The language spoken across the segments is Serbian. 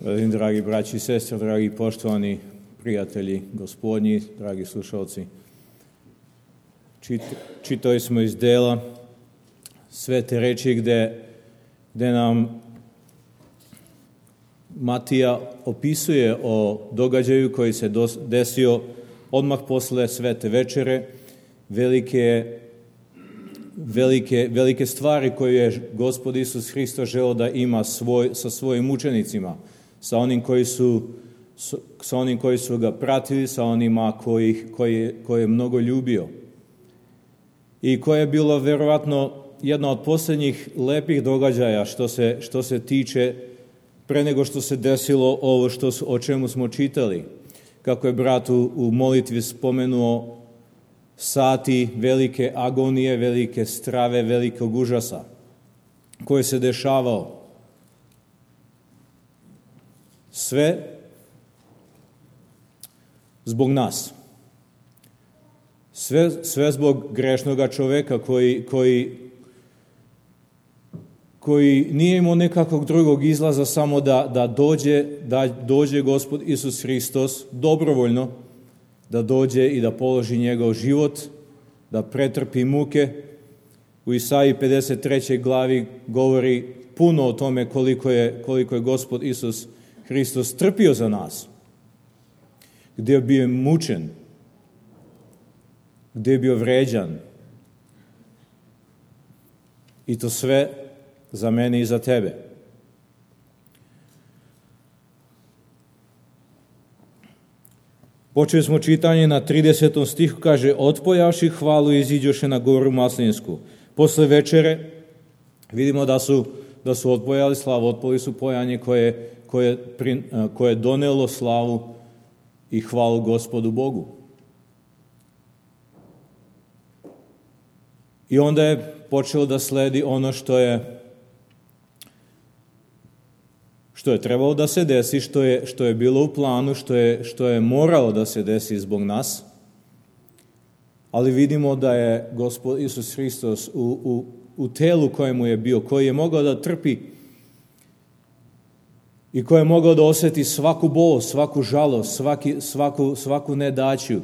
Dragi braći i sestre, dragi poštovani prijatelji gospodnji, dragi slušalci, čitali smo iz dela Svete reči gde nam Matija opisuje o događaju koji se desio odmah posle Svete večere, velike stvari koje je Gospod Isus Hristos želeo da ima sa svojim učenicima, sa onim koji su ga pratili, sa onima koje je mnogo ljubio. I koje je bilo verovatno jedna od posljednjih lepih događaja što se tiče pre nego što se desilo ovo o čemu smo čitali. Kako je brat u molitvi spomenuo sati velike agonije, velike strave, velikog užasa koje se dešavao. Sve zbog nas. Sve zbog grešnoga čoveka koji nije imao nekakvog drugog izlaza samo da dođe Gospod Isus Hristos dobrovoljno, da dođe i da položi njegov život, da pretrpi muke. U Isaiji 53. glavi govori puno o tome koliko je Gospod Isus Hristos trpio za nas, gdje je bio mučen, gdje je bio vređan. I to sve za mene i za tebe. Počeli smo čitanje na 30. stihu, kaže: otpojavši hvalu iziđoše na goru Maslinsku. Posle večere vidimo da su otpojali slavu, otpali su pojanje koje je donelo slavu i hvalu Gospodu Bogu. I onda je počelo da sledi ono što je trebalo da se desi, što je bilo u planu, što je moralo da se desi zbog nas. Ali vidimo da je Gospod Isus Hristos u telu kojemu je bio, koji je mogao da trpi i koji je mogao da osjeti svaku bol, svaku žalost, svaku nedaću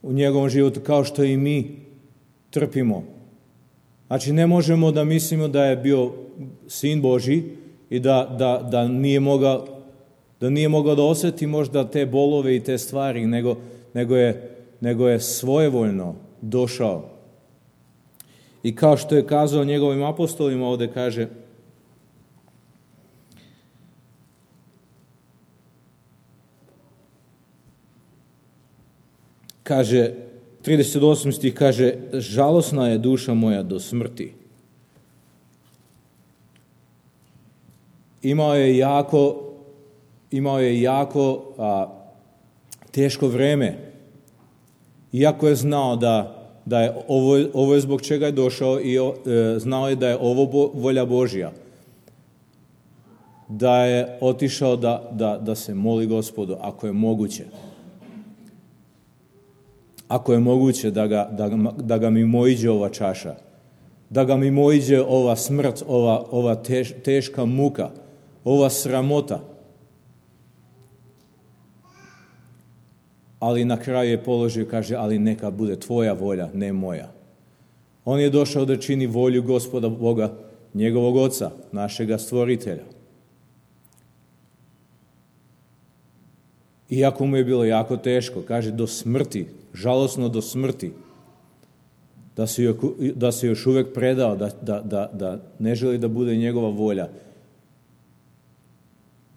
u njegovom životu, kao što i mi trpimo. Znači, ne možemo da mislimo da je bio Sin Božji i da nije mogao da osjeti možda te bolove i te stvari, nego je svojevoljno došao. I kao što je kazao njegovim apostolima, ovdje kaže 38. stih, kaže: žalosna je duša moja do smrti. Imao je jako teško vreme. Iako je znao da je ovo je zbog čega je došao i znao je da je ovo volja Božja. Da je otišao da se moli Gospodu, ako je moguće. Ako je moguće da ga mimoiđe ova čaša, da ga mimoiđe ova smrt, ova teška muka, ova sramota. Ali na kraju je položio, kaže: ali neka bude tvoja volja, ne moja. On je došao da čini volju Gospoda Boga, njegovog Oca, našega Stvoritelja. Iako mu je bilo jako teško, kaže do smrti, žalosno do smrti, da se još uvijek predao, da ne želi da bude njegova volja,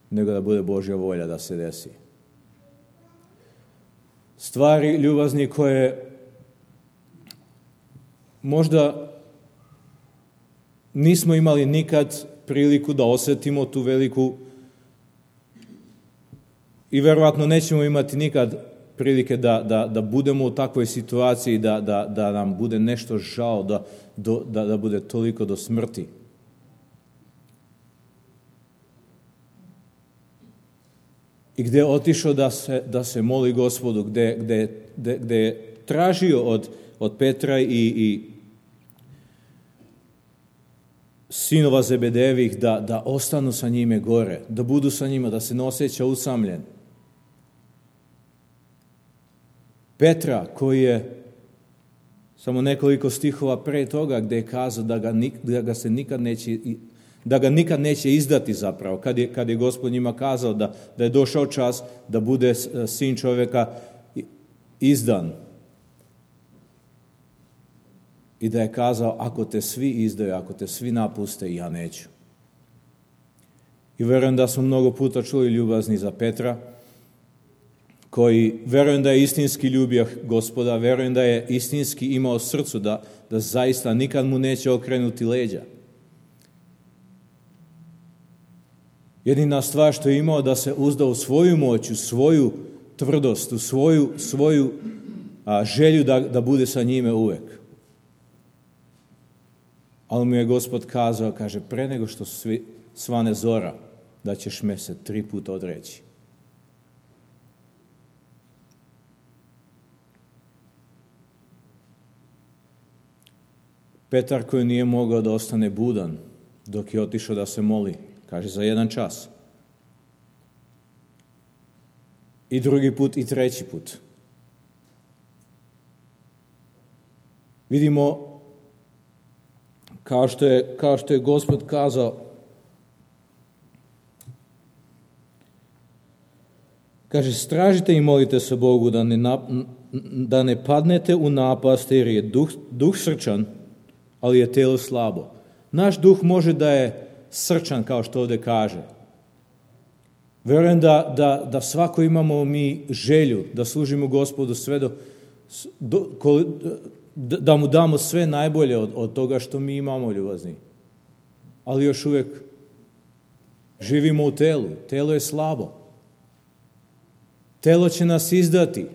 nego da bude Božja volja da se desi. Stvari, ljubazni, koje možda nismo imali nikad priliku da osjetimo tu veliku, i verovatno nećemo imati nikad prilike da budemo u takvoj situaciji, da nam bude nešto žao, da bude toliko do smrti. I gdje je otišao da se moli Gospodu, gdje je tražio od Petra sinova Zebedejevih da ostanu sa njime gore, da budu sa njima, da se ne osjeća usamljen. Petra, koji je samo nekoliko stihova pre toga gdje je kazao da ga nikad neće izdati zapravo, kad je Gospod njima kazao da je došao čas da bude sin čovjeka izdan. I da je kazao, ako te svi izdaju, ako te svi napuste, ja neću. I vjerujem da smo mnogo puta čuli ljubazni za Petra, koji vjerujem da je istinski ljubio Gospoda, vjerujem da je istinski imao srcu da zaista nikad mu neće okrenuti leđa. Jedina stvar što je imao da se uzda u svoju moć, u svoju tvrdost, u svoju želju da bude sa njime uvek. Ali mu je Gospod kazao, kaže, pre nego što svane zora, da ćeš me se 3 puta odreći. Petar koji nije mogao da ostane budan dok je otišao da se moli, kaže za 1 čas. I 2. put i 3. put. Vidimo kao što je Gospod kazao, kaže, stražite i molite se Bogu da ne padnete u napast, jer je duh srčan, ali je telo slabo. Naš duh može da je srčan, kao što ovdje kaže. Vjerujem da svako imamo mi želju da služimo Gospodu sve da mu damo sve najbolje od toga što mi imamo, ljubazni. Ali još uvijek živimo u telu. Telo je slabo. Telo će nas izdati.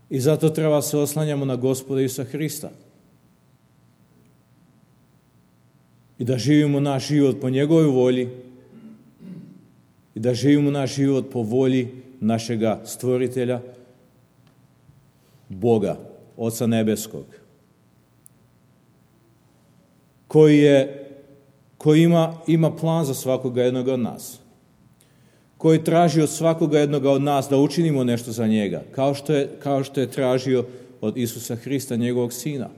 I zato treba se oslanjamo na Gospoda Isusa Hrista. I da živimo naš život po njegovoj volji. I da živimo naš život po volji našega stvoritelja, Boga, Oca Nebeskog, koji ima plan za svakoga jednoga od nas, koji traži od svakoga jednoga od nas da učinimo nešto za njega, kao što je tražio od Isusa Hrista, njegovog sina.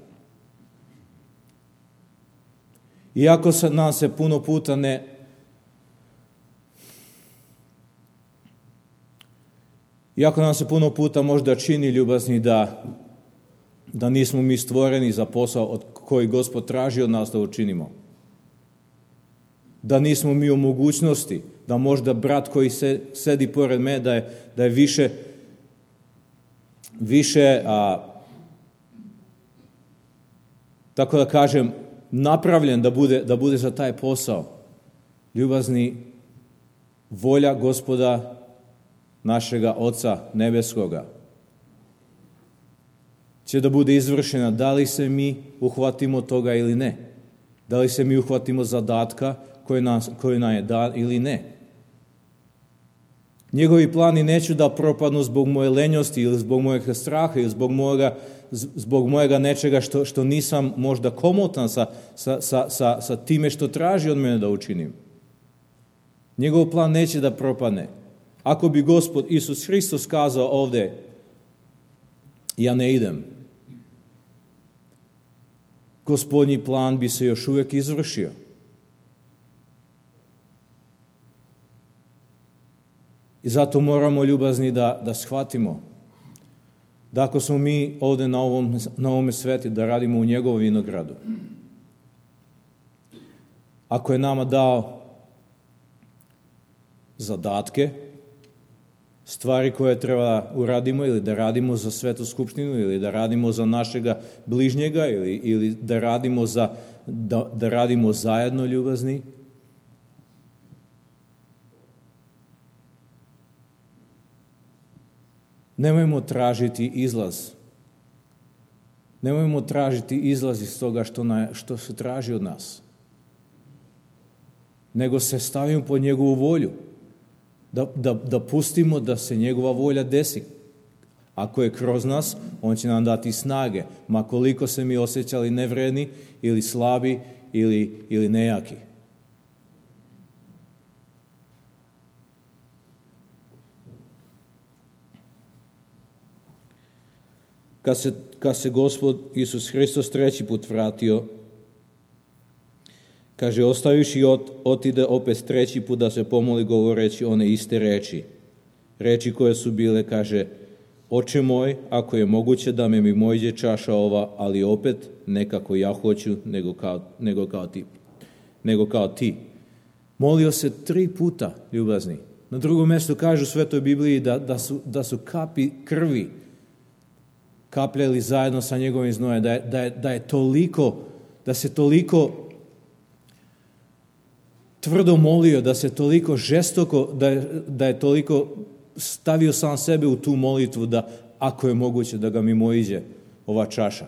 Iako nam se puno puta Iako nam se puno puta možda čini, ljubazni, da nismo mi stvoreni za posao od koji Gospod traži od nas da učinimo. Da nismo mi u mogućnosti, da možda brat koji sedi pored me, da je više tako da kažem, napravljen da bude za taj posao. Ljubazni, volja Gospoda našega Oca Nebeskoga će da bude izvršena, da li se mi uhvatimo toga ili ne. Da li se mi uhvatimo zadatka koji nam je dan ili ne. Njegovi plani neću da propadnu zbog moje lenjosti ili zbog mojeg straha ili zbog mojega nečega što nisam možda komotan sa time što traži od mene da učinim. Njegov plan neće da propadne. Ako bi Gospod Isus Hristos kazao ovdje, ja ne idem, Gospodnji plan bi se još uvijek izvršio. I zato moramo, ljubazni, da shvatimo da ako smo mi ovdje na ovome sveti, da radimo u njegovom vinogradu. Ako je nama dao zadatke, stvari koje treba uradimo ili da radimo za svetu skupštinu ili da radimo za našega bližnjega ili da radimo zajedno, ljubazni, nemojmo tražiti izlaz. Nemojmo tražiti izlaz iz toga što se traži od nas. Nego se stavimo pod njegovu volju. Da pustimo da se njegova volja desi. Ako je kroz nas, on će nam dati snage, ma koliko se mi osjećali nevredni ili slabi ili nejaki. Kad se Gospod Isus Hristos treći put vratio, kaže, ostaviši otide opet treći put da se pomoli govoreći one iste reči koje su bile, kaže, Oče moj, ako je moguće da me mi mojđe čaša ova, ali opet ne kako ja hoću, nego kao ti. Molio se 3 puta, ljubazni. Na drugom mjestu kažu u Svetoj Bibliji da su kapi krvi kapljali zajedno sa njegovim znojem, da se toliko tvrdo molio, da se toliko žestoko, da je toliko stavio sam sebe u tu molitvu da ako je moguće da ga mimoiđe ova čaša.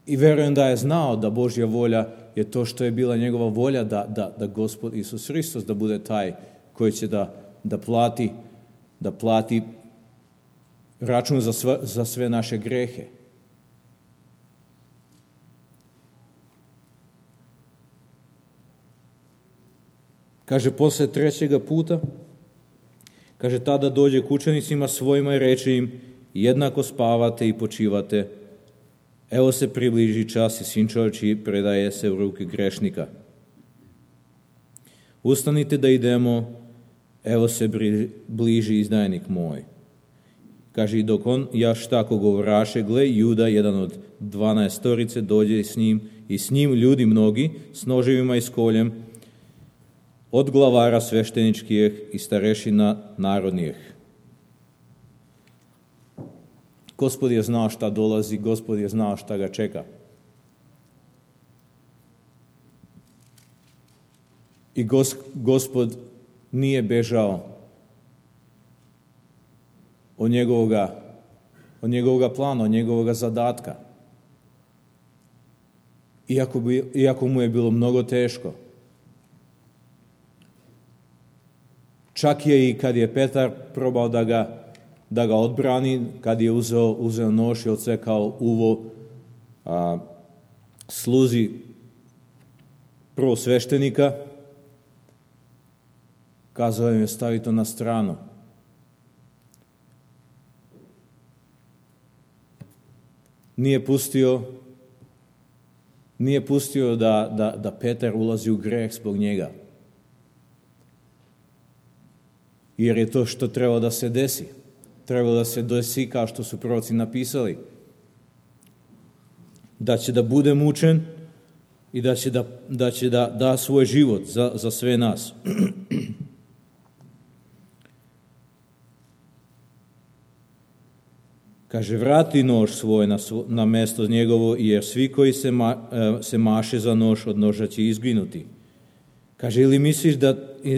I verujem da je znao da Božja volja je to što je bila njegova volja da Gospod Isus Hristos da bude taj koji će da plati račun za sve naše grehe. Kaže, posle 3. puta, kaže, tada dođe k učenicima svojima i reče im, jednako spavate i počivate. Evo se približi čas i Sin čovječji predaje se u ruke grešnika. Ustanite da idemo, evo se bliži izdajnik moj. Kaže, i dok on jaš tako govoraše, gle, Juda, jedan od 12 dođe s njim i s njim ljudi mnogi, s noževima i s koljem, od glavara svešteničkih i starešina narodnijih. Gospod je znao šta dolazi, Gospod je znao šta ga čeka. I Gospod nije bežao od njegovoga plana, od njegovoga zadatka. Iako mu je bilo mnogo teško. Čak je i kad je Petar probao da ga odbrani, kad je uzeo nož i odsekao uvo sluzi prvosveštenika, kazao im je stavi to na stranu. Nije pustio da Petar ulazi u greh zbog njega. Jer je to što treba da se desi. Treba da se desi kao što su proroci napisali. Da će da bude mučen i da će da svoj život za sve nas. Kaže, vrati nož svoj na mesto njegovo, jer svi koji se maše za nož, od noža će izginuti. Kaže,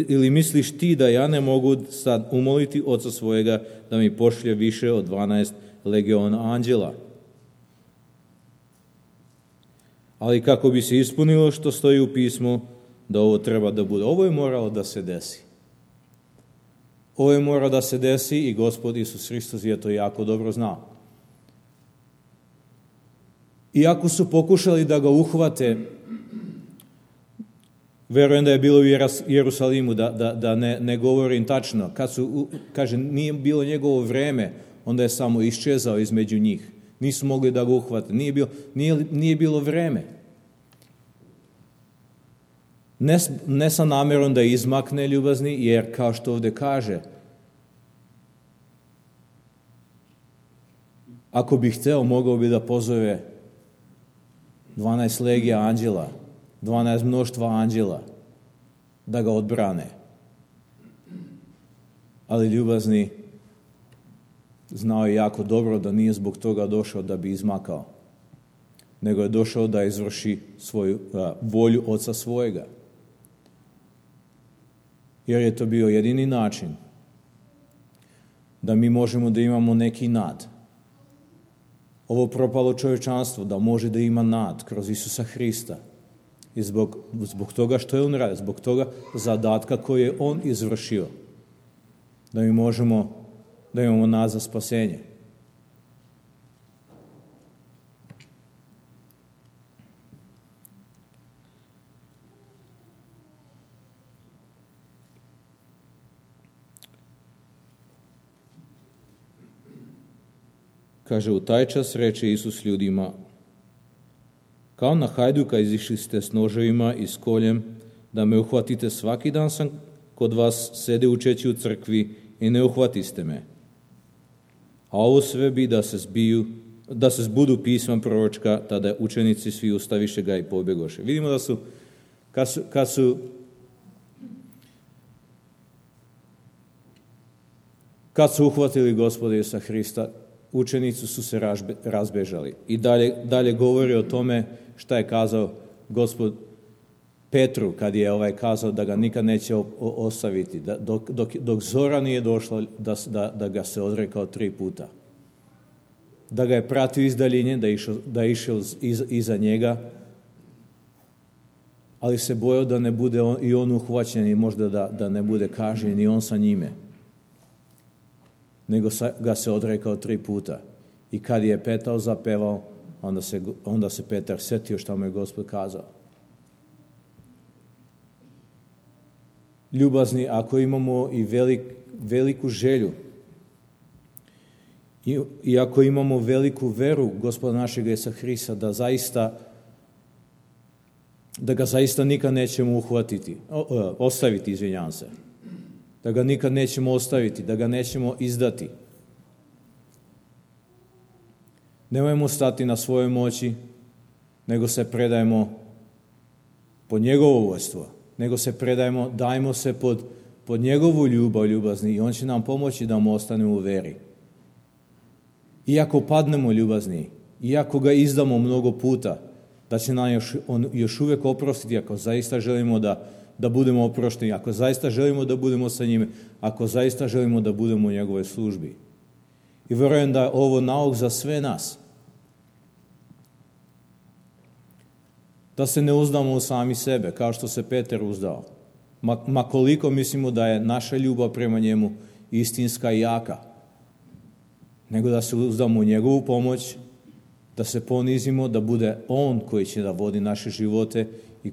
ili misliš ti da ja ne mogu sad umoliti Oca svojega da mi pošlje više od 12 legiona anđela? Ali kako bi se ispunilo što stoji u pismu, da ovo treba da bude. Ovo je moralo da se desi. Ovo je moralo da se desi i Gospod Isus Hristos je to jako dobro znao. Iako su pokušali da ga uhvate, verujem da je bilo u Jerusalimu, da ne govorim tačno. Kaže, nije bilo njegovo vreme, onda je samo iščezao između njih. Nisu mogli da ga uhvate. Nije bilo vreme. Ne sa namerom da izmakne, ljubazni, jer kao što ovdje kaže, ako bi hteo, mogao bi da pozove 12 legija anđela, 12 mnoštva anđela, da ga odbrane. Ali ljubazni, znao je jako dobro da nije zbog toga došao da bi izmakao, nego je došao da izvrši svoju volju Oca svojega. Jer je to bio jedini način da mi možemo da imamo neki nad. Ovo propalo čovječanstvo da može da ima nad kroz Isusa Hrista. I zbog toga što je on radio, zbog toga zadatka koji je on izvršio. da mi možemo da imamo nazad spasenje. Kaže, u taj čas reče Isus ljudima, kao na hajduka izišli ste s noževima i s koljem, da me uhvatite, svaki dan sam kod vas sede učeći u crkvi i ne uhvatiste me. A ovo sve bi da se zbudu pisma proročka, tada učenici svi ustaviše ga i pobjegoše. Vidimo da su, kad su uhvatili Gospoda Isusa Hrista, učenici su se razbežali. I dalje govori o tome šta je kazao Gospod Petru kad je kazao da ga nikad neće ostaviti, dok zora nije došla da ga se odrekao 3 puta. Da ga je pratio iz daljine, da je išao iza njega, ali se bojao da ne bude i on uhvaćen i možda da ne bude kažnjen i on sa njime. Nego ga se odrekao 3 puta. I kad je petao, zapevao, onda se Petar sjetio šta mu je Gospod kazao. Ljubazni, ako imamo i veliku želju i ako imamo veliku veru Gospoda našeg Isusa Hrista da ga zaista nikad nećemo ostaviti, izvinjavam se. Da ga nikad nećemo ostaviti, da ga nećemo izdati. Nemojmo stati na svojoj moći, nego se predajemo pod njegovo vodstvo, nego se predajemo, dajmo se pod njegovu ljubazni i on će nam pomoći da mu ostanemo u veri. Iako padnemo ljubazni, iako ga izdamo mnogo puta, da će nam on još uvijek oprostiti ako zaista želimo da budemo oprošteni, ako zaista želimo da budemo sa njime, ako zaista želimo da budemo u njegovoj službi. I vjerujem da je ovo nauk za sve nas. Da se ne uzdamo u sami sebe, kao što se Petar uzdao. Ma koliko mislimo da je naša ljubav prema njemu istinska i jaka, nego da se uzdamo u njegovu pomoć, da se ponizimo, da bude on koji će da vodi naše živote i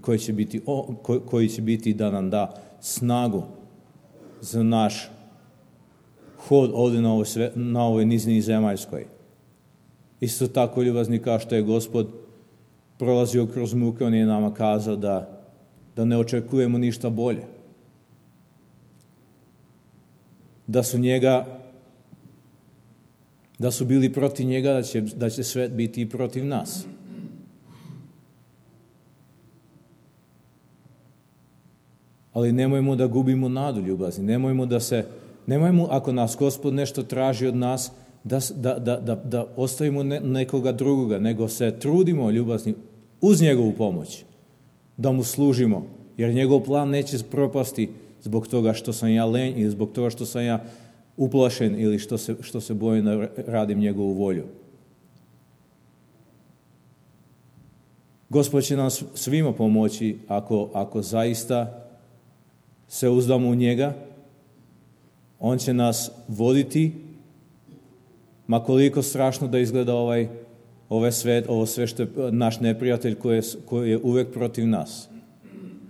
koji će biti da nam da snagu za naš hod ovdje na ovoj nizini zemaljskoj. Isto tako ljubazni kao što je Gospod prolazio kroz muke, on je nama kazao da ne očekujemo ništa bolje. Da su bili protiv njega, da će svet biti i protiv nas. Ali nemojmo da gubimo nadu ljubazni. Nemojmo ako nas Gospod nešto traži od nas, da ostavimo nekoga drugoga, nego se trudimo ljubazni uz njegovu pomoć, da mu služimo, jer njegov plan neće propasti zbog toga što sam ja lenj ili zbog toga što sam ja uplašen ili što se bojim da radim njegovu volju. Gospod će nam svima pomoći ako zaista se uzdamo u njega. On će nas voditi, ma koliko strašno da izgleda ovo sve što je naš neprijatelj koji je uvijek protiv nas.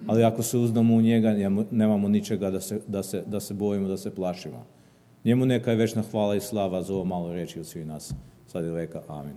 Ali ako se uzdamo u njega, nemamo ničega da se bojimo, da se plašimo. Njemu neka je večna hvala i slava za ovo malo reči od svih nas. Sad i veka. Amin.